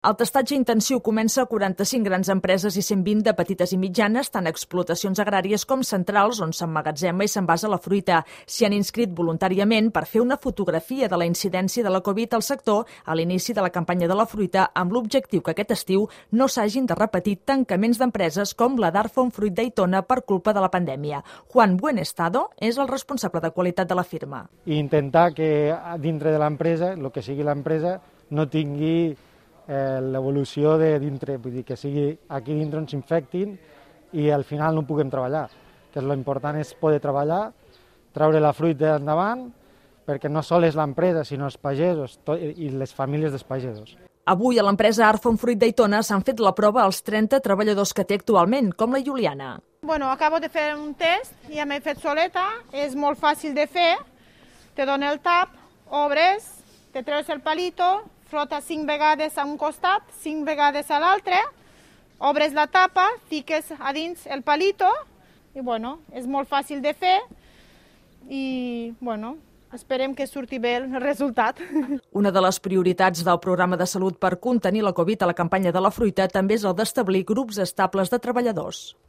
El testatge intensiu comença a 45 grans empreses i 120 de petites i mitjanes, tant explotacions agràries com centrals, on s'emmagatzema i s'envasa la fruita. S'hi han inscrit voluntàriament per fer una fotografia de la incidència de la Covid al sector a l'inici de la campanya de la fruita, amb l'objectiu que aquest estiu no s'hagin de repetir tancaments d'empreses com la d'Arfon Fruit d'Aitona per culpa de la pandèmia. Juan Buenestado és el responsable de qualitat de la firma. I intentar que dintre de l'empresa, el que sigui l'empresa, no tingui l'evolució de dintre, vull dir que sigui aquí dintre on s'infectin i al final no puguem treballar. Que l'important és poder treballar, treure la fruita endavant, perquè no sols l'empresa, sinó els pagesos i les famílies dels pagesos. Avui a l'empresa Arfon Fruit d'Aitona s'han fet la prova als 30 treballadors que té actualment, com la Juliana. Acabo de fer un test, ja m'he fet soleta, és molt fàcil de fer, te dona el tap, obres, te treus el palito, frotes 5 vegades a un costat, 5 vegades a l'altre, obres la tapa, fiques a dins el palito i és molt fàcil de fer i esperem que surti bé el resultat. Una de les prioritats del programa de salut per contenir la Covid a la campanya de la fruita també és el d'establir grups estables de treballadors.